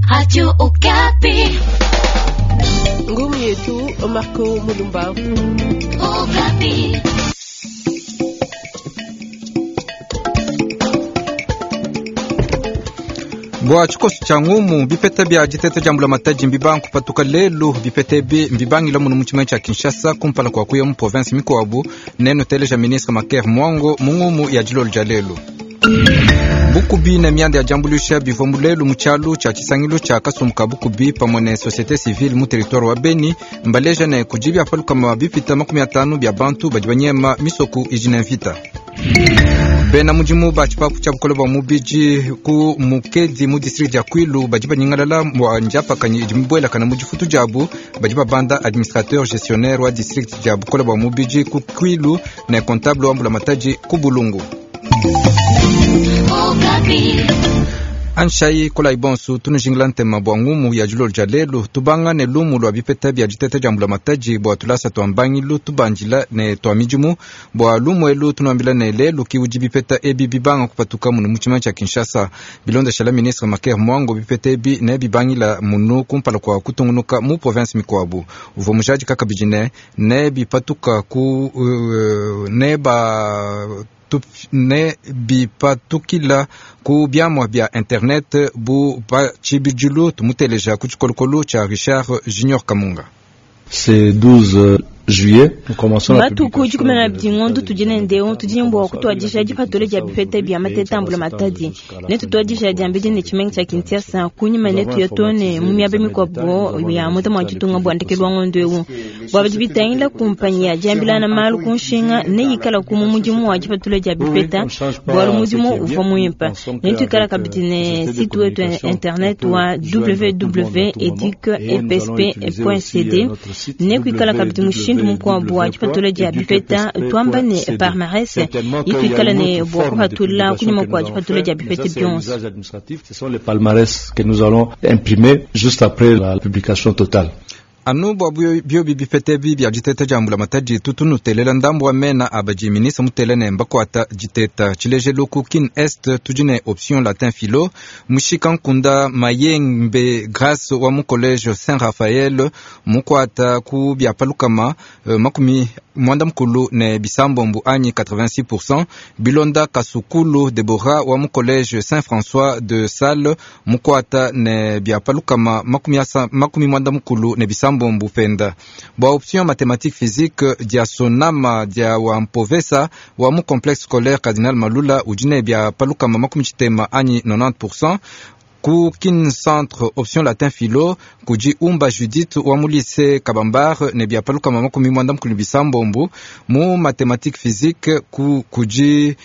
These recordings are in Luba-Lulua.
Radio Okapi. Ngumu yetu Marco Mulumba. Okapi. Bua tshikoso tshia ngumu bipeta bia diteta dia mbulamatadi mbibangu kupatuka lelu. Bipeta ebi mbibangila munu mu tshimenga tshia Kinshasa kumpala kua kuya mu province mikuabu. Nenuteleja ministre Maker Mwango mu ngumu ya dilolo dia lelu. Bukubi ne mianda ya diambuluisha bivua mu lelu mu tshialu tshia tshisangilu tshia kasumbu ka bukubi pamue ne société civile mu territoire wa Beni. Mbaleja ne kudi bia palukama bipita 50 bia bantu badi banyema misoku idi ne mvita. Bena mudimu ba tshipapu tshia bukole bua mubidi ku Mukedi mu district dia Kwilu badi banyingalala bua ndiapakanyi idi mibuelakana mu difutu diabu. Badi babanda administrateur gestionnaire wa district dia bukole bua mubidi ku Kwilu ne comptable wa mbulamatadi ku Bulungu. Okapi. Anshayi kolayi bonsu tunujingila ntema bua ngumu ya dilolo dia lelu. Tubanga ne lumu lua bipeta bia diteta dia mbulamatadi bua tulasa tua mbangilu tubandila ne tua midimu. Bua lumu elu tunuambila ne lelu ki udi bipeta ebi bibanga kupatuka munu mu tshimenga tshia Kinshasa. Bilondeshela ministre Maker Mwango, bipeta ebi ne bibangila munu kumpala kua kutungunuka mu province mikuabu. Uvua mujadika kabidi ne ne bipatuka ku ne ba ne bipatukila ku biamua bia internet bu pa tshibidilu. Tumuteleja ku tshikolokolo tshia Richard Junior Kamunga. C'est 12 juillet, nous commençons la Matuku 12 ngondo tudi nende tudi ne bua kutuadija dipatula dia bipeta bia mateta a mbulamatadi. Netutuadija diambedi ne tshimenga tshia Kinshasa kunyima netuya too ne mu miaba mikuabu ya muta mua ditunga bua ndekelu wa ngondo eu. Bua bidi bitangila kumpanyi ya diambilana malu ku nshinga neyikalaku mu mudimu wa dipatula dia bipeta bualu mudimu uvua muimpe. Netuikala kabidi ne site wetu internet wa www.educ-epsp.cd. Nekuikala kabidi mushindu mukuabu wa dipatula dia bipeta tuamba ne palmarès ituikala ne bua kupatula kunyima kua dipatula dia bipeta bionso. Ce sont les palmarès que nous allons imprimer juste après la publication totale. Anu bua biobi bipeta ebi bia diteta dia mbulamatadi tutu nutelela ndambu wa mena a badi ministre mutele ne mbakuata diteta. Tshilejelu ku Kin Est tudi ne option latin philo Mushika Nkunda Mayembe Grace wa mu collège Saint Raphaël mukuata ku bia palukama 66 anyi 86%. Bilonda Kasukulu Deborah wa mu collège Saint François de Sales mukuata ne bia palukama 96 penda. Bua option mathématique physique dia Sonama dia wa Mpovesa wa mu complexe scolaire Cardinal Malula udi ne bia palukama 90 anyi 90%. Ku Kin Centre option latin philo kudi Umba Judith wa mu lycée Kabambar ne bia palukama 96. Mu mathématique physique ku kudi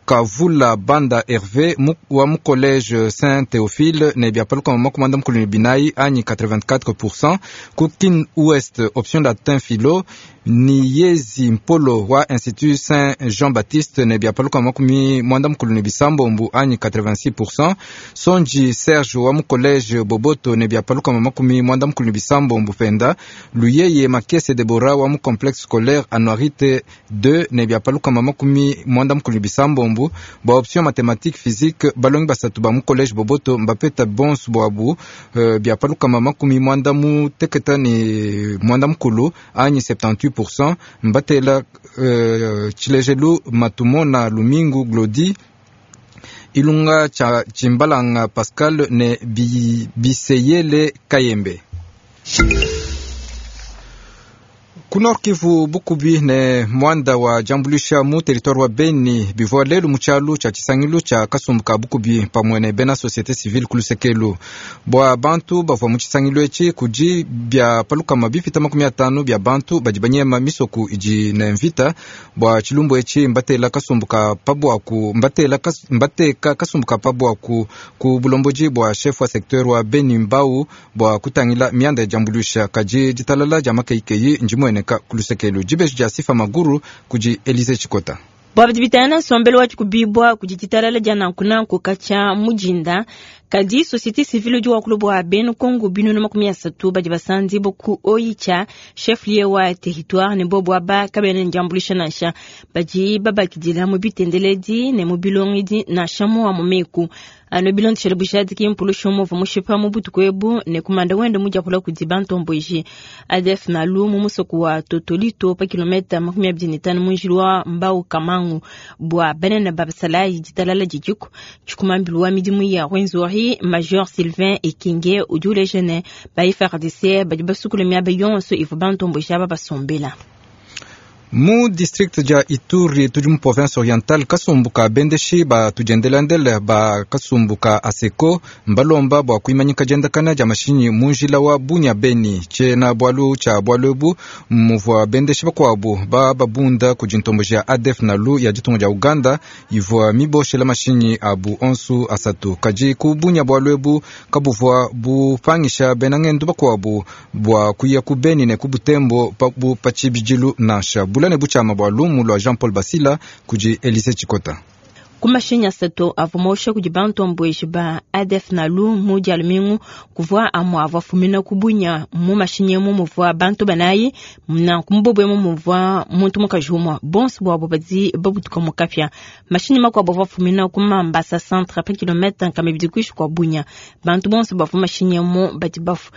Kavula Banda Hervé wa mu collège Saint Théophile ne bia palukama 94 anyi 84%. Ku Kin Ouest option latin philo Niyezi Mpolo wa Institut Saint Jean-Baptiste ne bia palukama 96 anyi 86%. Sonji Serge wa mu collège Boboto ne bia palukama 97 penda. Luyeye Makese Deborah wa mu complexe scolaire Anuarite 2 ne bia palukama 97. Bua option mathématique physique balongi basatu ba mu collège Boboto mbapeta bonsu buabu bia palukama 89 anyi 78%. Mbatela tshilejelu Matumona Lumingu Glodi Ilunga cha Chimbalanga Pascal ne Biseyele Kayembe. Ku Nord Kivu bukubi ne muanda wa diambuluisha mu territoire wa Beni bivua lelu mu tshialu tshia tshisangilu tshia kasumbu ka bukubi pamue ne bena société civile ku lusekelu. Bua bantu bavua mu tshisangilu etshi kudi bia palukama bipita 50 bia bantu badi banyema misoku idi ne mvita. Bua tshilumbu etshi mbatela kasumbu ka pabuaku, mbatela kas, mbateka kasumbu ka pabuaku ku bulombodi bua chef wa secteur wa Beni Mbau bua kutangila mianda ya diambuluisha. Kadi ditalala dia makeikeyi ndimueneka ku lusekelu. Dibeji dia Sifa Maguru kudi Elise Chikota. Bua bidi bitangila nsombelu wa dikubibua kudi ditalala dia nankunanku katshia mujinda. Kadi société civile udi wakula bua bena Kongo 330 badi basandibua ku Oicha, chef-lieu wa territoire, ne bobu aba kabena ne diambuluisha nansha. Badi babakidila mu bitendeledi ne mu bilongedi nansha mu amue meku. Anu bilondeshele bujadiki, mpulushi umue uvua mushipa mu butuku ebu ne kumanda wende mudiapula kudi bantomboji ADF Nalu mu musoko wa Totolito pa kilometa 25 mu njila wa Mbau Kamangu. Bua banene ba basalayi ditalala didiku. Tshikumambilu wa midimu ya Rwenzori, Major Sylvain Ekenge, udi uleja ne ba FARDC badi basukula miaba yonso ivua bantomboji aba basombela. Mu district dia Ituri tudi mu province orientale, kasumbu ka bendeshi ba tudiendelandele ba kasumbu ka ASECO mbalomba bua kuimanyika diendakana dia mashinyi mu njila wa Bunia Beni. Tshiena bualu tshia bualu ebu muvua bendeshi bakuabu ba babunda kudi ntomboji ya ADF Nalu ya ditunga dia Uganda ivua miboshela mashinyi abu onsu asatu. Kadi ku Bunia bualu ebu kabuvua bupangisha bena ngendu bakuabu bua kuya ku Beni ne ku Butembo pa pa tshibidilu nansha. Bula ne butshiama bua lumu lua Jean Paul Basila kudi Elise Tshikota. Ku mashinyi asatu avua mosha kudi bantomboji ba ADF Nalu mu dia lumingu, kuvua amue avua afumina ku Bunia. Mu mashinyi emu muvua bantu banayi, nanku mu bobu emu muvua muntu mukaji umue. Bonso buabu badi babutuka mu kapia. Mashinyi makuabu avua afumina ku Mambasa centre pa kilometa 200 kuinshi kua Bunia. Bantu bonso bavua mashinyi emu badi bafua.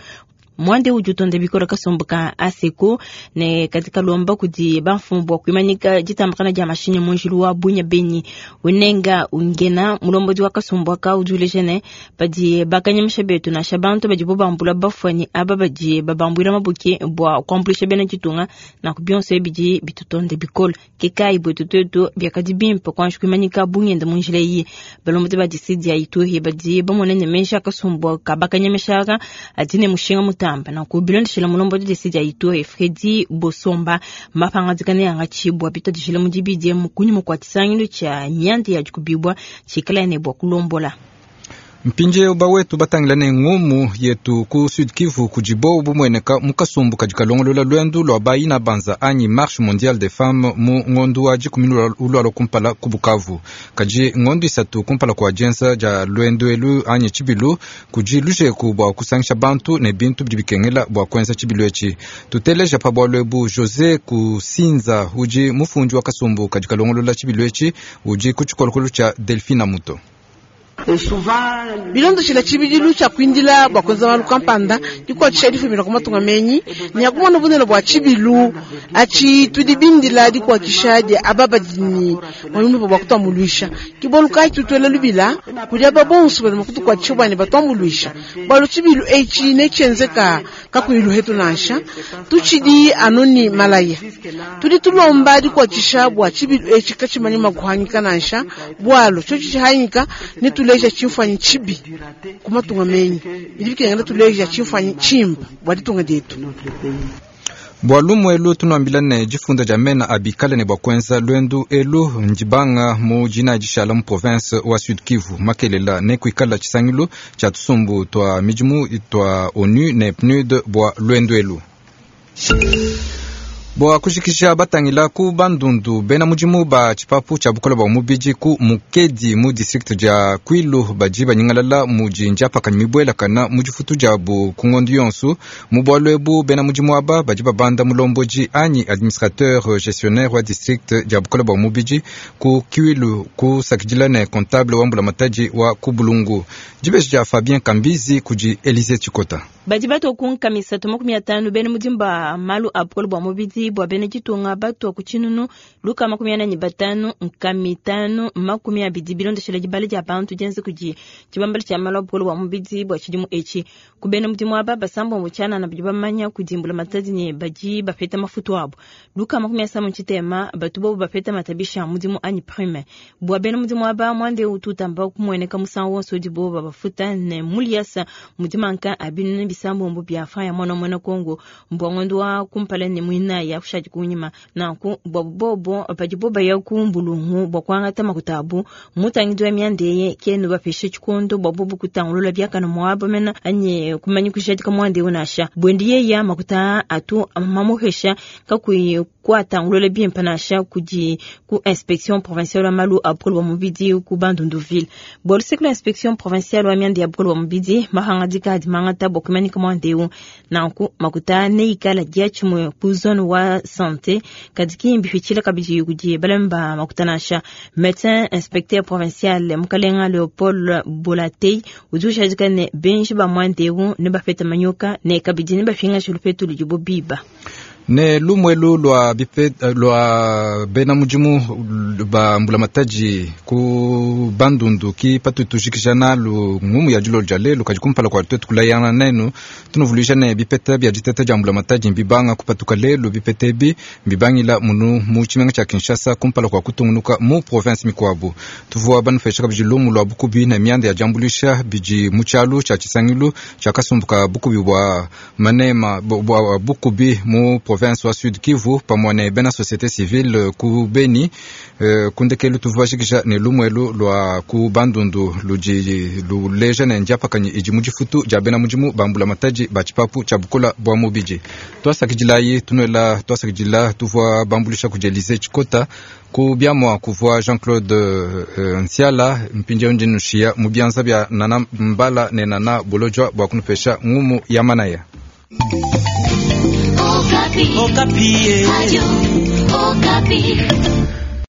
Muanda udi utonda bikole kasumbu ka ASECO ne kadi kalomba kudi bamfumu bua kuimanyika ditambakana dia mashinyi mu njila wa Bunia Beni. Unenga ungena mulombodi wa kasumbu aka udi uleja ne badi bakanyemesha betu nansha bantu badibo bambula bafua ne aba badi babambuila mabuki bua kuambuluisha bena ditunga, nanku bionso ebi bidi bitutonde bikole. Ke kayi buetu tuetu biakadi bimpe kuanji kuimanyika bungenda mu njila eyi. Balombodi ba district dia Ituri badi bamona ne meji a kasumbu ka bakanyemesha aka adi ne mushinga mutamba. Nanku bilondeshela mulombodi district dia Ituri Fredy Bosomba, mapangadika neangatshibua bituadijile mu dibidi emu kunyima kua tshisangilu tshia mianda ya dikubibua tshikala ne bua kulombola. Mpindieu bawetu batangila ne ngumu yetu ku Sud Kivu kudi bobu bumueneka mu kasumbu kadi kalongolola luendu lua bayina banza anyi Marche Mondiale des Femmes mu ngondu wa dikumi ulualua kumpala ku Bukavu. Kadi ngondu isatu kumpala kua dienza dia luendu elu anyi tshibilu kudi lujeku bua kusangisha bantu ne bintu bidi bikengela bua kuenza tshibilu etshi. Tuteleja pa bualu ebu Jose Kusinza udi mufundi wa kasumbu kadi kalongolola tshibilu etshi udi ku tshikolokolo tshia Delphine Muto. Bilondeshela tshibidilu tshia kuindila bua kuenza malu kampanda dikuatshisha difumina ku matunga menyi ne akumona bunene bua tshibilu atshi tudi bindila dikuatshisha dia aba badi ne muoyo bua kutuambuluisha. Ke bualu kayi tutuela lubila kudi aba bonso badi mua kutukuatshisha bua ne batuambuluisha, bualu tshibilu etshi netshienzeka kakuyi luhetu nansha. Tutshidi anu ne malaya, tudi tulomba dikuatshisha bua tshibilu etshi katshimanyi mua kuhangika nansha, bualu tshiotshi tshihangika ne tuleja tshimfuanyi tshibi ku matunga menyi. Bidi bikengela tuleja tshimfuanyi tshimpe bua ditunga dietu. Bua lumu elu tunuambila ne difunda dia mena abikale ne bua kuenza luendu elu ndibanga mu dina dishala mu province wa Sud Kivu. Makelela ne kuikala tshisangilu tshia tusumbu tua midimu tua ONU ne PNUD bua luendu elu. Bua kujikija batangila ku Bandundu bena mudimu ba tshipapu tshia bukole bua mubidi ku Mukedi mu district dia Kwilu badi banyingalala mudi ndiapakanyi mibuelakana mu difutu diabu ku ngondu yonsu. Mu bualu ebu bena mudimu aba badi babanda mulombodi anyi administrateur gestionnaire wa district dia bukole bua mubidi ku Kwilu kusakidila ne comptable wa mbulamatadi wa ku Bulungu. Dibeji dia Fabien Kambizi kudi Elise Tshikota. Badi batua ku nkamisa 50 bena mudimu ba malu a bukole bua mubidi bua bena ditunga batua ku tshinunu luka 45 nkami 5 20 bilondeshela dibala dia bantu dienza kudi tshibambala tshia malu a bukole bua mubidi bua tshidimu etshi. Ku bena mudimu aba basambombo tshianana badi bamanya kudimbula matadi ne badi bapeta mafutu abu luka 60 batu bobu bapeta matabisha a mudimu anyi prime. Bua bena mudimu aba muanda eu utu utamba kumueneka musangu wonso udibo babafuta ne muliasa mudimanka a binunu. bisambombo bia franc ya mwana muena Kongo mbua ngondo wa kumpala ne muinayi akushadi kunyima. Nanku bua bobo padibo baya ku mbulungu bua kuangata makuta abu, mutangidi wa mianda eye kenu bapeshe tshikondo bua bobo kutangulula biakana muaba mena anyi kumanya kujadika muanda eu nansha. Buendi yeya makuta atu mamuhesha kakuyi kuatangulula bimpe nansha kudi ku inspection provinciale wa malu a bukole bua mubidi ku Bandundu-ville. Bua luseke lua inspection provinciale wa mianda ya bukole bua mubidi, mahangadika adi mangata bua kumanyika muanda eu. Nanku makuta neikala diatshimue ku zone wa santé, kadi ki mbipitshila kabidi kudi balami ba makuta nansha. Médecin inspecteur provincial Mukalenga Leopold Bolatei udi ujadika ne benji ba muanda eu ne bapeta manyoka ne kabidi ne bapingaja lupetu ludibo biba. Ne lumuelu lua bipe, lua bena mudimu ba mbulamatadi ku Bandundu ki patutujikija nalu ngumu ya dilolo dia lelu. Kadi kumpala kua tuetu kulayana nenu, tunuvuluija ne bipeta bia diteta dia mbulamatadi mbibanga kupatuka lelu. Bipeta ebi mbibangila munu mu tshimenga tshia Kinshasa kumpala kua kutungunuka mu province mikuabu. Tuvua banupesha kabidi lumu lua bukubi ne mianda ya diambuluisha bidi mu tshialu tshia tshisangilu tshia kasumbu ka bukubi bua manema bua bukubi mu province wa Sud Kivu pamue ne bena société civile ku Beni. Kundekelu tuvua ne lumuelu lua ku Bandundu ludi luleja ne ndiapakanyi idi mu difutu dia bena mudimu ba mbulamatadi ba tshipapu tshia bukola bua mubidi. Tuasakidilayi tunuela tuasakidila tuvua bambulisha kudi Elise Tshikota ku biamua kuvua Jean-Claude Nsiala. Mpindieu ndi nushiya mu bianza bia Nana Mbala ne Nana Bolojwa bua kunupesha ngumu ya manaya. Okapi. Okapi. Radio Okapi.